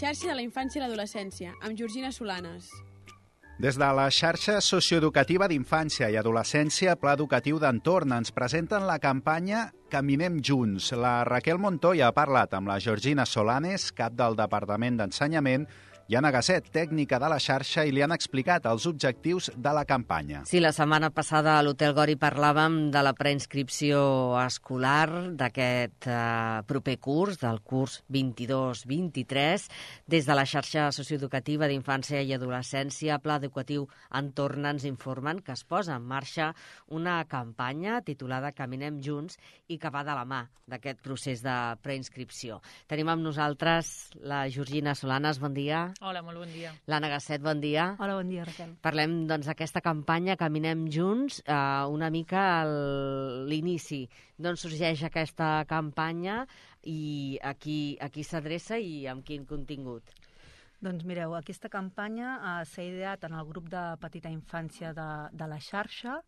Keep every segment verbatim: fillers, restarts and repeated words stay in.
xarxa de la infància i l'adolescència, amb Georgina Solanes. Des de la xarxa socioeducativa d'infància i adolescència, Pla Educatiu d'Entorn, ens presenten la campanya Caminem Junts. La Raquel Montoya ha parlat amb la Georgina Solanes, cap del Departament d'Ensenyament, i Anna Gasset, tècnica de la xarxa, i li han explicat els objectius de la campanya. Sí, la setmana passada a l'Hotel Gori parlàvem de la preinscripció escolar d'aquest eh, proper curs, del curs vint-i-dos vint-i-tres. Des de la xarxa socioeducativa d'infància i adolescència, Pla Educatiu Entorn, ens informen que es posa en marxa una campanya titulada Caminem Junts i que va de la mà d'aquest procés de preinscripció. Tenim amb nosaltres la Georgina Solanes, bon dia. Hola, molt bon dia. L'Anna Gasset, bon dia. Hola, bon dia, Raquel. Parlem doncs d'aquesta campanya Caminem Junts, eh, una mica a l'inici. D'on sorgeix aquesta campanya i a qui, a qui s'adreça i amb quin contingut? Doncs mireu, aquesta campanya eh, s'ha ideat en el grup de petita infància de, de la xarxa,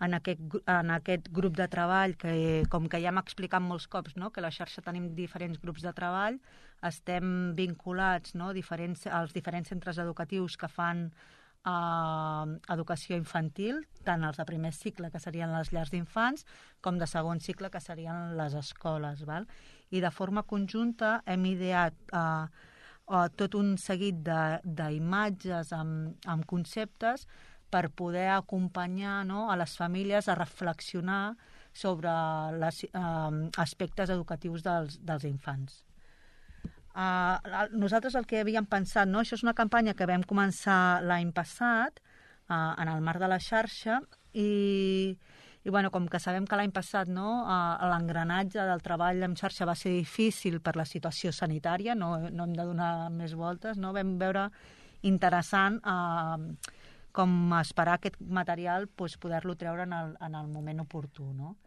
en aquest, en aquest grup de treball que, com que ja hem explicat molts cops, no?, que a la xarxa tenim diferents grups de treball, estem vinculats, no?, diferents, als diferents centres educatius que fan eh, educació infantil, tant els de primer cicle, que serien les llars d'infants, com de segon cicle, que serien les escoles. Val? I de forma conjunta hem ideat eh, eh, tot un seguit d'imatges amb, amb conceptes per poder acompanyar, no?, a les famílies a reflexionar sobre els eh, aspectes educatius dels, dels infants. Uh, nosaltres el que havíem pensat, no? Això és una campanya que vam començar l'any passat uh, en el marc de la xarxa i, i bueno, com que sabem que l'any passat, no, uh, l'engranatge del treball en xarxa va ser difícil per la situació sanitària, no, no hem de donar més voltes, no? Vam veure interessant uh, com esperar aquest material, pues, poder-lo treure en el, en el moment oportú, no?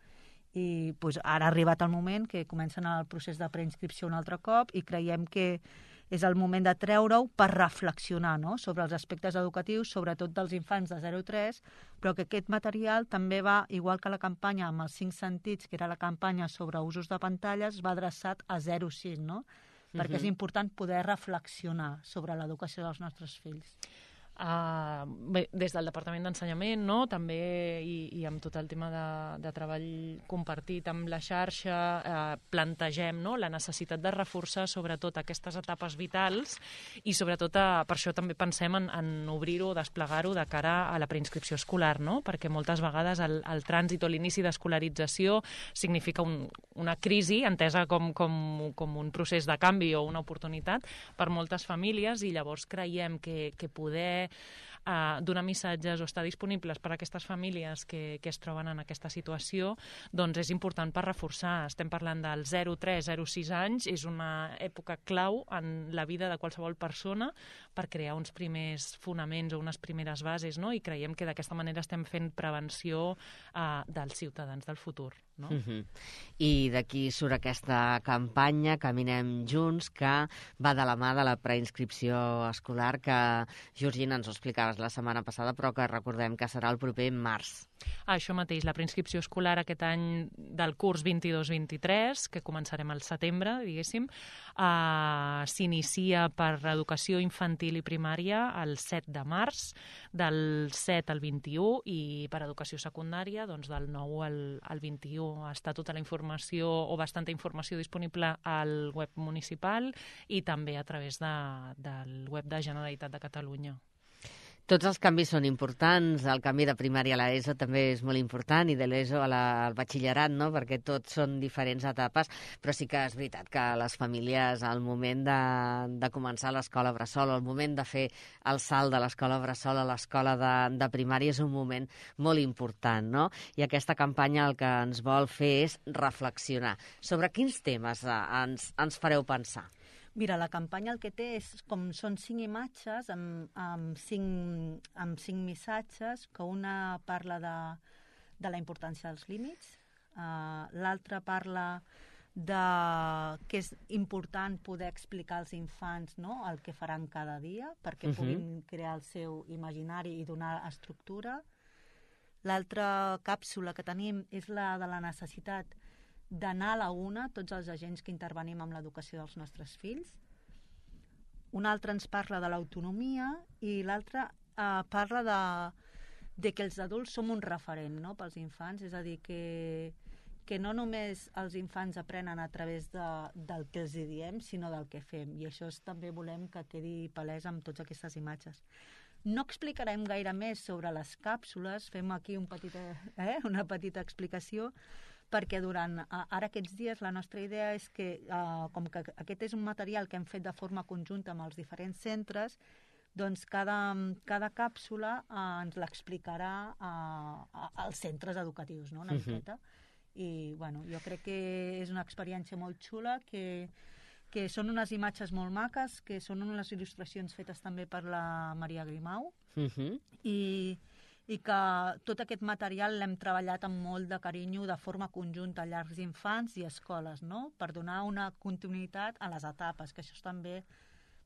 I pues, ara ha arribat el moment que comencen el procés de preinscripció un altre cop i creiem que és el moment de treure-ho per reflexionar, no?, sobre els aspectes educatius, sobretot dels infants de zero a tres, però que aquest material també va, igual que la campanya amb els cinc sentits, que era la campanya sobre usos de pantalles, va adreçat a zero a sis, no? Perquè uh-huh. és important poder reflexionar sobre l'educació dels nostres fills. Uh, bé, des del Departament d'Ensenyament, no?, també, i, i amb tot el tema de, de treball compartit amb la xarxa, uh, plantegem, no?, la necessitat de reforçar sobretot aquestes etapes vitals i sobretot uh, per això també pensem en, en obrir-ho, desplegar-ho de cara a la preinscripció escolar, no?, perquè moltes vegades el, el trànsit o l'inici d'escolarització significa un, una crisi entesa com, com, com un procés de canvi o una oportunitat per moltes famílies i llavors creiem que, que poder Uh, donar missatges o estar disponibles per a aquestes famílies que, que es troben en aquesta situació, doncs és important per reforçar. Estem parlant del zero a tres, zero a sis anys, és una època clau en la vida de qualsevol persona per crear uns primers fonaments o unes primeres bases, no? I creiem que d'aquesta manera estem fent prevenció uh, dels ciutadans del futur. No? Uh-huh. I d'aquí surt aquesta campanya Caminem Junts, que va de la mà de la preinscripció escolar, que Georgina ens ho explicaves la setmana passada, però que recordem que serà el proper març. Ah, això mateix, la preinscripció escolar aquest any del curs vint-i-dos vint-i-tres, que començarem al setembre, diguéssim, uh, s'inicia per educació infantil i primària el set de març, del set al vint-i-u, i per educació secundària, doncs del nou al, al vint-i-u. Està tota la informació o bastanta informació disponible al web municipal i també a través de, del web de Generalitat de Catalunya. Tots els canvis són importants, el canvi de primària a l'ESO també és molt important i de l'ESO al batxillerat, no?, perquè tots són diferents etapes, però sí que és veritat que les famílies al moment de, de començar l'escola bressol, al moment de fer el salt de l'escola bressol a l'escola de, de primària és un moment molt important, no? I aquesta campanya el que ens vol fer és reflexionar. Sobre quins temes eh, ens, ens fareu pensar? Mira, la campanya el que té és com són cinc imatges amb, amb, cinc, amb cinc missatges, que una parla de, de la importància dels límits, uh, l'altra parla de que és important poder explicar als infants, no?, el que faran cada dia perquè uh-huh. puguin crear el seu imaginari i donar estructura. L'altra càpsula que tenim és la de la necessitat d'anar a la una, tots els agents que intervenim amb l'educació dels nostres fills. un altre ens parla de l'autonomia i l'altre uh, parla de, de que els adults som un referent, no?, pels infants, és a dir, que, que no només els infants aprenen a través de, del que els diem, sinó del que fem, i això és, també volem que quedi palès amb totes aquestes imatges. No explicarem gaire més sobre les càpsules, fem aquí un petit, eh, una petita explicació, perquè durant ara aquests dies la nostra idea és que, eh, com que aquest és un material que hem fet de forma conjunta amb els diferents centres, doncs cada, cada càpsula eh, ens l'explicarà eh, als centres educatius, no?, una uh-huh. miqueta. I bueno, jo crec que és una experiència molt xula, que, que són unes imatges molt maques, que són unes il·lustracions fetes també per la Maria Grimau, uh-huh. i... i que tot aquest material l'hem treballat amb molt de carinyo de forma conjunta a llars d'infants i escoles, no?, per donar una continuïtat a les etapes, que això també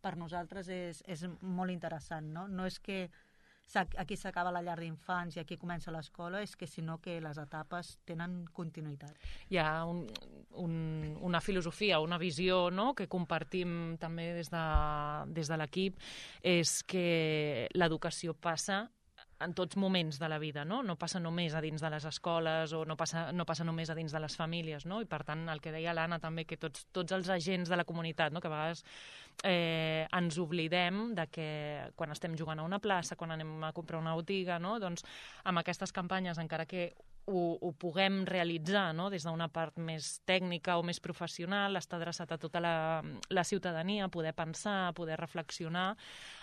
per nosaltres és, és molt interessant, no? No és que aquí s'acaba la llar d'infants i aquí comença l'escola, és que sinó que les etapes tenen continuïtat. Hi ha un, un, una filosofia, una visió, no?, que compartim també des de, des de l'equip, és que l'educació passa en tots moments de la vida, no? No passa només a dins de les escoles o no passa, no passa només a dins de les famílies, no? I per tant, el que deia l'Anna també, que tots, tots els agents de la comunitat, no?, que a vegades eh, ens oblidem de que quan estem jugant a una plaça, quan anem a comprar una botiga, no?, doncs amb aquestes campanyes, encara que ho, ho puguem realitzar, no?, des d'una part més tècnica o més professional, està adreçat a tota la, la ciutadania, poder pensar, poder reflexionar,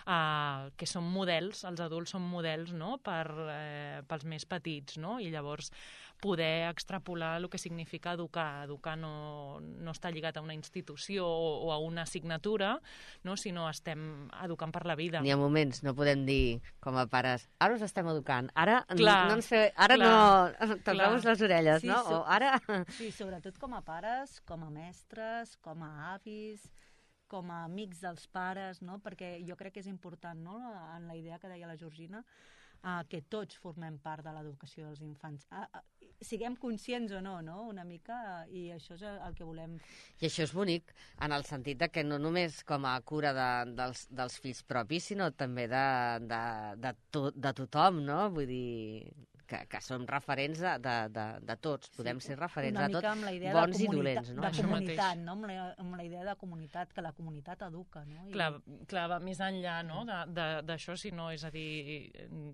eh, que són models, els adults són models, no?, per, eh, pels més petits, no?, i llavors poder extrapolar el que significa educar. Educar no, no està lligat a una institució o, o a una assignatura, no?, sinó estem educant per la vida. N'hi ha moments, no podem dir com a pares, ara us estem educant, ara clar, no ens fe... ara clar, no toquem-vos les orelles, sí, no? So... O ara... Sí, sobretot com a pares, com a mestres, com a avis, com a amics dels pares, no?, perquè jo crec que és important, no?, en la idea que deia la Georgina, uh, que tots formem part de l'educació dels infants. Uh, uh, siguem conscients o no, no?, una mica, uh, i això és el que volem. I això és bonic, en el sentit de que no només com a cura de, dels, dels fills propis, sinó també de, de, de, to, de tothom, no?, vull dir... Que, que som referents de, de, de, de tots, podem ser referents de tots, bons i dolents, no? De comunitat, no? Amb la, amb la idea de comunitat, que la comunitat educa, no? I... Clar, clar, va més enllà, no?, d'això, sinó, és a dir,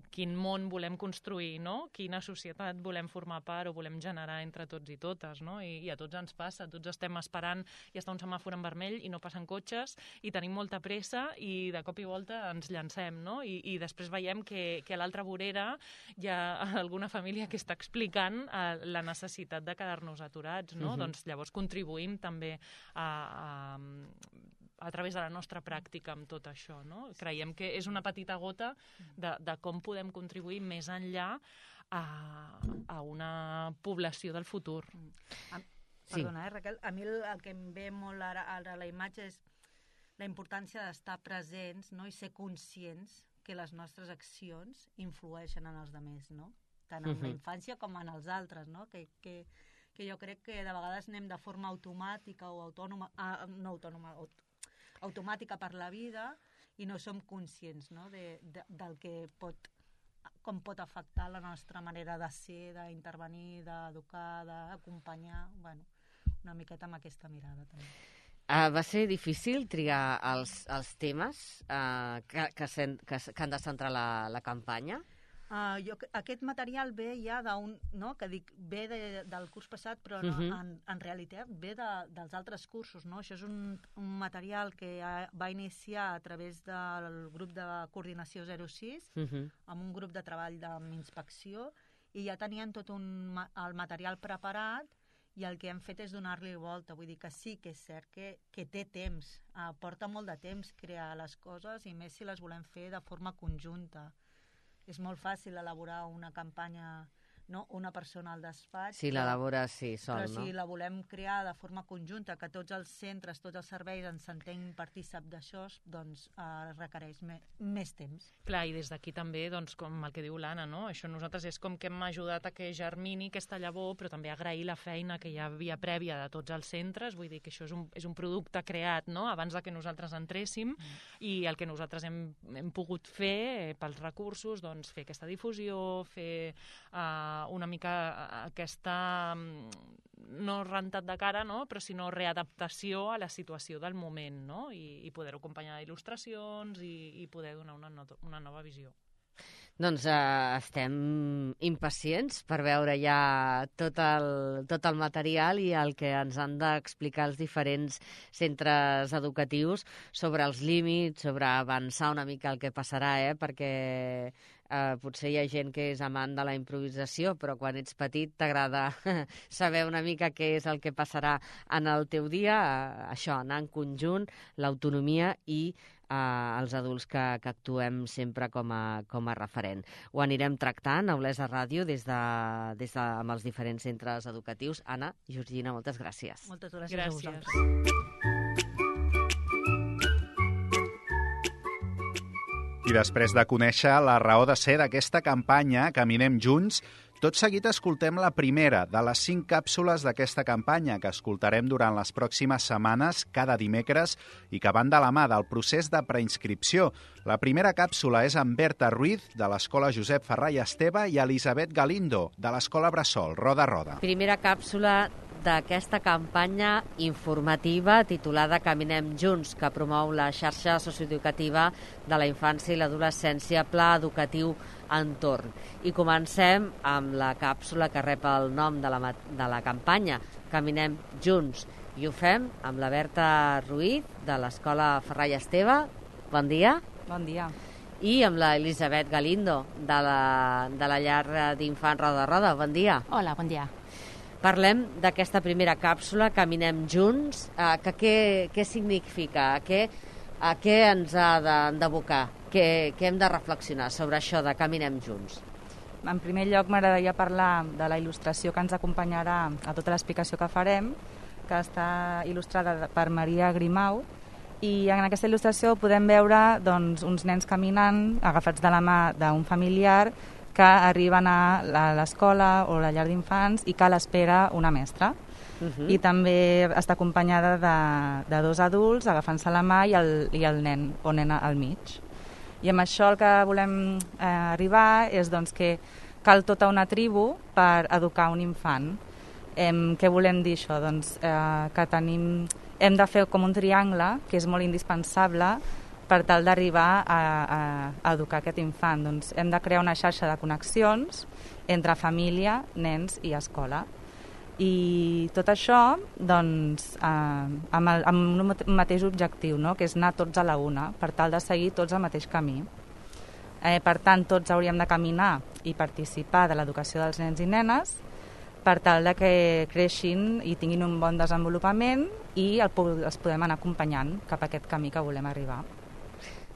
quin món volem construir, no?, quina societat volem formar part o volem generar entre tots i totes, no?, i, i a tots ens passa, tots estem esperant i està un semàfor en vermell i no passen cotxes i tenim molta pressa i de cop i volta ens llancem, no?, i, i després veiem que, que a l'altra vorera hi ha alguna família que està explicant eh, la necessitat de quedar-nos aturats, no? Uh-huh. Doncs llavors contribuïm també a, a, a través de la nostra pràctica amb tot això, no? Creiem que és una petita gota de, de com podem contribuir més enllà a, a una població del futur. A, perdona, eh, Raquel, a mi el, el que em ve molt ara, ara a la imatge és la importància d'estar presents, no?, i ser conscients que les nostres accions influeixen en els altres, no?, tant en uh-huh. la infància com en els altres, no?, que, que, que jo crec que de vegades anem de forma automàtica o autònoma, ah, no autònoma, aut, automàtica per la vida i no som conscients, no?, de, de, del que pot, com pot afectar la nostra manera de ser, d'intervenir, d'educar, d'acompanyar, bueno, una miqueta amb aquesta mirada també. Uh, va ser difícil triar els, els temes uh, que, que, sen, que, que han de centrar la, la campanya? Uh, jo, aquest material ve ja d'un, no?, que dic, ve de, del curs passat, però no, uh-huh. en, en realitat ve de, dels altres cursos, no? Això és un, un material que ha, va iniciar a través del grup de coordinació zero sis, uh-huh. amb un grup de treball d'inspecció, i ja tenien tot un, el material preparat, i el que hem fet és donar-li volta. Vull dir que sí que és cert que, que té temps, uh, porta molt de temps crear les coses, i més si les volem fer de forma conjunta. És molt fàcil elaborar una campanya no? Una persona al despatx. Si l'elabora, sí, sol, però no? si la volem crear de forma conjunta, que tots els centres, tots els serveis ens sentim partícip d'això, doncs eh, requereix me, més temps. Clar, i des d'aquí també, doncs, com el que diu l'Anna, no? Això nosaltres és com que hem ajudat a que germini aquesta llavor, però també agrair la feina que hi havia prèvia de tots els centres, vull dir que això és un, és un producte creat, no?, abans de que nosaltres entréssim, mm. i el que nosaltres hem, hem pogut fer eh, pels recursos, doncs, fer aquesta difusió, fer eh, una mica aquesta, no rentat de cara, no?, però sinó readaptació a la situació del moment, no?, i, i poder-ho acompanyar d'il·lustracions i, i poder donar una, no, una nova visió. Doncs eh, estem impacients per veure ja tot el, tot el material i el que ens han d'explicar els diferents centres educatius sobre els límits, sobre avançar una mica el que passarà, eh? Perquè eh, potser hi ha gent que és amant de la improvisació, però quan ets petit t'agrada saber una mica què és el que passarà en el teu dia, eh, això, anar en conjunt, l'autonomia i Uh, els adults que, que actuem sempre com a, com a referent. Ho anirem tractant a Olesa Ràdio des de, des de, amb els diferents centres educatius. Anna, Georgina, moltes gràcies. Moltes gràcies, gràcies. a vosaltres. I després de conèixer la raó de ser d'aquesta campanya Caminem Junts, tot seguit escoltem la primera de les cinc càpsules d'aquesta campanya que escoltarem durant les pròximes setmanes, cada dimecres, i que van de la mà del procés de preinscripció. La primera càpsula és amb Berta Ruiz, de l'Escola Josep Ferrar i Esteve, i Elisabet Galindo, de l'Escola Bressol, Roda a Roda. Primera càpsula d'aquesta campanya informativa titulada Caminem Junts, que promou la xarxa socioeducativa de la infància i l'adolescència, Pla Educatiu Entorn. I comencem amb la càpsula que rep el nom de la, de la campanya, Caminem Junts. I ho fem amb la Berta Ruiz, de l'Escola Ferrar i Esteve. Bon dia. Bon dia. I amb la Elisabet Galindo, de la, de la llar d'infants Roda a Roda. Bon dia. Hola, bon dia. Parlem d'aquesta primera càpsula, Caminem Junts, eh, que què, què significa, a què, a què ens ha d'abocar, què, què hem de reflexionar sobre això de Caminem Junts. En primer lloc m'agradaria parlar de la il·lustració que ens acompanyarà a tota l'explicació que farem, que està il·lustrada per Maria Grimau, i en aquesta il·lustració podem veure doncs, uns nens caminant agafats de la mà d'un familiar que arriben a l'escola o a la llar d'infants i que l'espera una mestra. Uh -huh. I també està acompanyada de, de dos adults agafant-se la mà i el, i el nen o nena al mig. I amb això el que volem eh, arribar és doncs, que cal tota una tribu per educar un infant. Eh, què volem dir això? Doncs, eh, que tenim, hem de fer com un triangle, que és molt indispensable per tal d'arribar a, a, a educar aquest infant. Doncs hem de crear una xarxa de connexions entre família, nens i escola. I tot això doncs, eh, amb, el, amb un mateix objectiu, no? Que és anar tots a la una, per tal de seguir tots el mateix camí. Eh, per tant, tots hauríem de caminar i participar de l'educació dels nens i nenes per tal de que creixin i tinguin un bon desenvolupament i el, els podem anar acompanyant cap a aquest camí que volem arribar.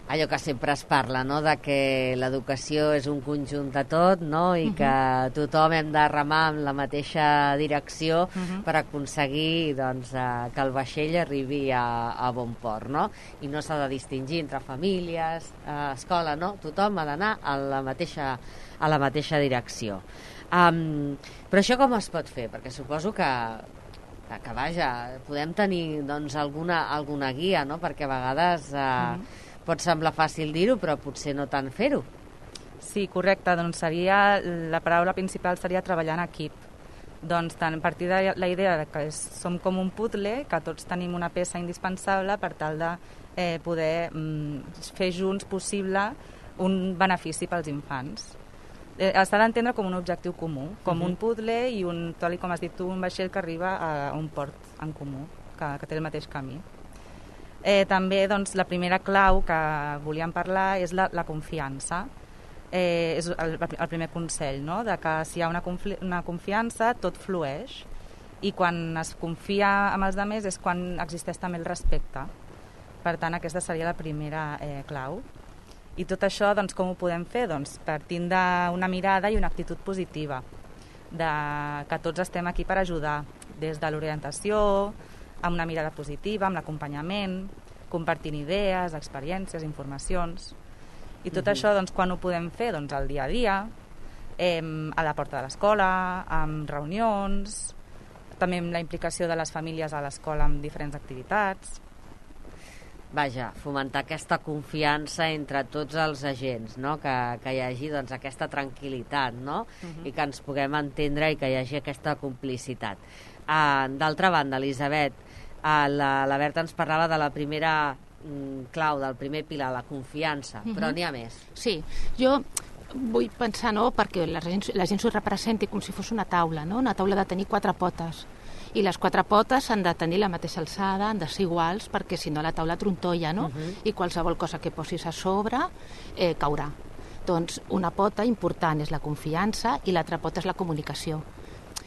Allò que sempre es parla, no?, de que l'educació és un conjunt de tot, no?, i uh -huh. que tothom hem de remar en la mateixa direcció uh -huh. per aconseguir doncs, eh, que el vaixell arribi a, a bon port, no? I no s'ha de distingir entre famílies, eh, escola, no? Tothom ha d'anar a la mateixa, a la mateixa direcció. Um, però això com es pot fer? Perquè suposo que que vaja, podem tenir doncs, alguna, alguna guia, no? Perquè a vegades eh, uh -huh. pot semblar fàcil dir-ho, però potser no tant fer-ho. Sí, correcte. Doncs seria, la paraula principal seria treballar en equip. Doncs tant, a partir de la idea que és, som com un puzzle, que tots tenim una peça indispensable per tal de eh, poder mm, fer junts possible un benefici pels infants. Eh, S'ha d'entendre com un objectiu comú, com uh-huh. un puzzle i un, tal com has dit tu, un vaixell que arriba a un port en comú, que, que té el mateix camí. Eh, també doncs, la primera clau que volíem parlar és la, la confiança. Eh, és el, el primer consell, no? De que si hi ha una, confi una confiança tot flueix i quan es confia amb els altres és quan existeix també el respecte. Per tant, aquesta seria la primera eh, clau. I tot això, doncs, com ho podem fer? Doncs partint d'una mirada i una actitud positiva. de que tots estem aquí per ajudar, des de l'orientació, amb una mirada positiva, amb l'acompanyament, compartint idees, experiències, informacions. I tot uh-huh. això, doncs, quan ho podem fer? Doncs al dia a dia, eh, a la porta de l'escola, amb reunions, també amb la implicació de les famílies a l'escola amb diferents activitats. Vaja, fomentar aquesta confiança entre tots els agents, no? que, que hi hagi doncs, aquesta tranquil·litat, no? Uh-huh. I que ens puguem entendre i que hi hagi aquesta complicitat. Uh, D'altra banda, Elisabet, uh, la, la Berta ens parlava de la primera mm, clau, del primer pilar, la confiança, uh-huh. però n'hi ha més. Sí, jo vull pensar, no?, perquè la gent, la gent s'ho representi com si fos una taula, no? Una taula de tenir quatre potes. I les quatre potes han de tenir la mateixa alçada, han de ser iguals, perquè si no la taula trontolla, no? Uh-huh. I qualsevol cosa que posis a sobre eh, caurà. Doncs una pota important és la confiança i l'altra pota és la comunicació.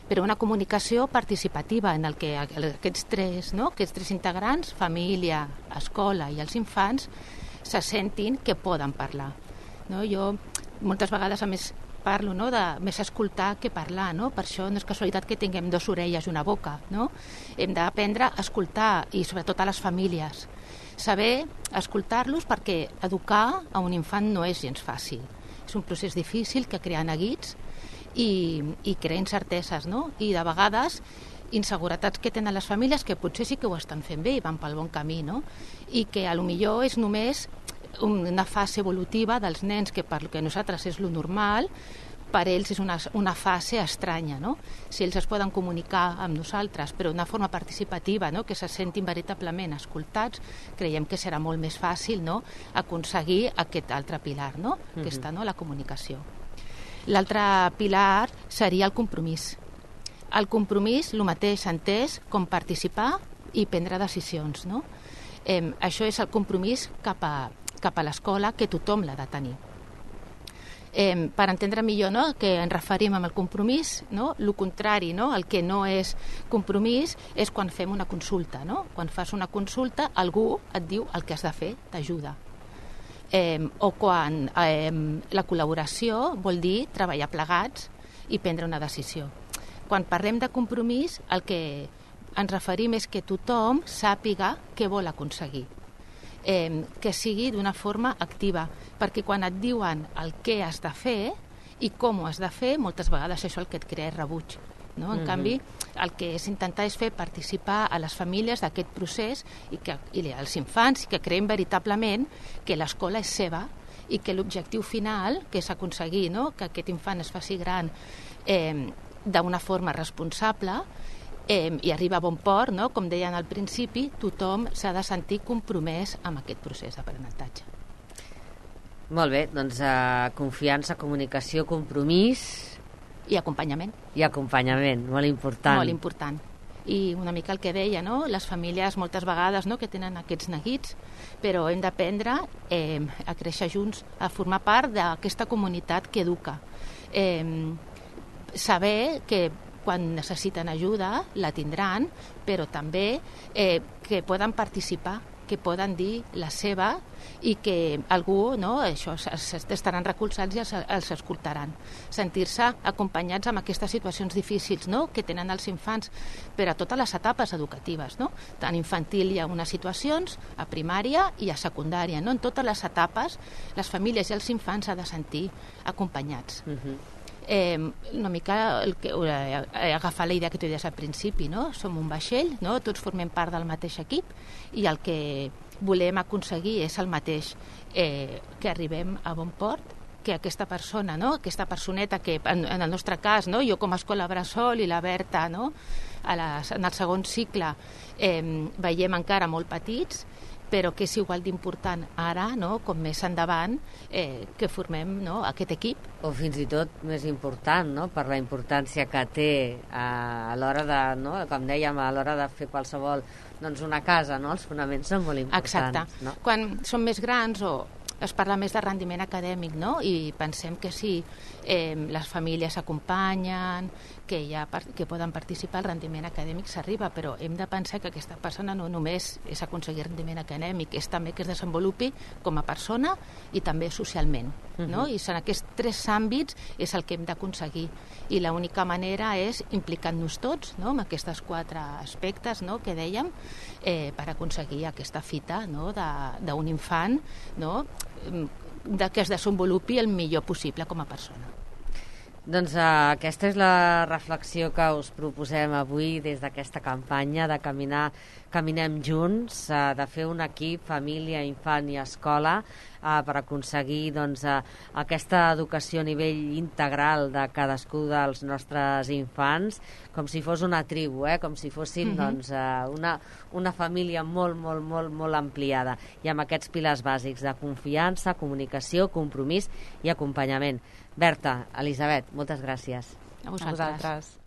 Però una comunicació participativa en el que aquests tres, no? aquests tres integrants, família, escola i els infants, se sentin que poden parlar. No? Jo moltes vegades, a més, parlo, no?, de més escoltar que parlar, no? Per això no és casualitat que tinguem dues orelles i una boca, no? Hem d'aprendre a escoltar, i sobretot a les famílies. Saber escoltar-los, perquè educar a un infant no és gens fàcil. És un procés difícil que crea neguits i, i crea incerteses, no? I de vegades inseguretats que tenen les famílies que potser sí que ho estan fent bé i van pel bon camí, no? I que a lo millor és només una fase evolutiva dels nens que per que nosaltres és lo normal, per ells és una, una fase estranya, no? Si ells es poden comunicar amb nosaltres, però d'una forma participativa, no?, que se sentin veritablement escoltats, creiem que serà molt més fàcil, no?, aconseguir aquest altre pilar, no?, uh-huh. aquesta, no?, la comunicació. L'altre pilar seria el compromís. El compromís, el mateix entès com participar i prendre decisions, no? Eh, això és el compromís cap a cap a l'escola, que tothom l'ha de tenir. Eh, per entendre millor, no?, que ens referim amb el compromís, no?, el contrari, no?, el que no és compromís és quan fem una consulta, no? Quan fas una consulta, algú et diu el que has de fer, t'ajuda. Eh, o quan eh, la col·laboració vol dir treballar plegats i prendre una decisió. Quan parlem de compromís, el que ens referim és que tothom sàpiga què vol aconseguir. Eh, que sigui d'una forma activa, perquè quan et diuen el què has de fer i com ho has de fer, moltes vegades això el que et crea és rebuig, no? En mm-hmm. canvi, el que és intentar és fer participar a les famílies d'aquest procés i, que, i als infants, i que creiem veritablement que l'escola és seva i que l'objectiu final, que és aconseguir, no?, que aquest infant es faci gran eh, d'una forma responsable, Eh, i arriba a bon port, no? Com deien al principi, tothom s'ha de sentir compromès amb aquest procés d'aprenentatge. Molt bé, doncs uh, confiança, comunicació, compromís... I acompanyament. I acompanyament, molt important. Molt important. I una mica el que deia, no?, les famílies moltes vegades, no?, que tenen aquests neguits, però hem d'aprendre eh, a créixer junts, a formar part d'aquesta comunitat que educa. Eh, saber que quan necessiten ajuda, la tindran, però també eh, que poden participar, que poden dir la seva i que algú, no, això, estaran recolzats i els, els escoltaran. Sentir-se acompanyats amb aquestes situacions difícils, no?, que tenen els infants per a totes les etapes educatives, no? Tant infantil hi ha unes situacions, a primària i a secundària, no? En totes les etapes, les famílies i els infants s'han de sentir acompanyats. Uh-huh. Eh, una mica el que, eh, agafar la idea que tu deies al principi, no? Som un vaixell, no? Tots formem part del mateix equip i el que volem aconseguir és el mateix, eh, que arribem a bon port, que aquesta persona, no?, aquesta personeta que en, en el nostre cas, no?, jo com a escola bressol i la Berta, no?, a les, en el segon cicle eh, veiem encara molt petits, però que és igual d'important ara, no?, com més endavant, eh, que formem, no?, aquest equip. O fins i tot més important, no?, per la importància que té a, a l'hora de, no?, com dèiem, a l'hora de fer qualsevol, doncs una casa, no?, els fonaments són molt importants. Exacte. No? Quan som més grans o es parla més de rendiment acadèmic, no? I pensem que si eh, les famílies s'acompanyen, que, hi ha, que poden participar, el rendiment acadèmic s'arriba, però hem de pensar que aquesta persona no només és aconseguir rendiment acadèmic, és també que es desenvolupi com a persona i també socialment, no? Uh-huh. I en aquests tres àmbits és el que hem d'aconseguir. I l'única manera és implicant-nos tots, no?, amb aquests quatre aspectes, no?, que dèiem, eh, per aconseguir aquesta fita, no?, d'un infant, no?, de que es desenvolupi el millor possible com a persona. Doncs uh, aquesta és la reflexió que us proposem avui des d'aquesta campanya de caminar, Caminem Junts, uh, de fer un equip, família, infant i escola, uh, per aconseguir doncs, uh, aquesta educació a nivell integral de cadascú dels nostres infants, com si fos una tribu, eh? Com si fossin uh-huh. doncs, uh, una, una família molt, molt, molt, molt ampliada, i amb aquests pilars bàsics de confiança, comunicació, compromís i acompanyament. Berta, Elisabet, moltes gràcies. A vosaltres. A vosaltres.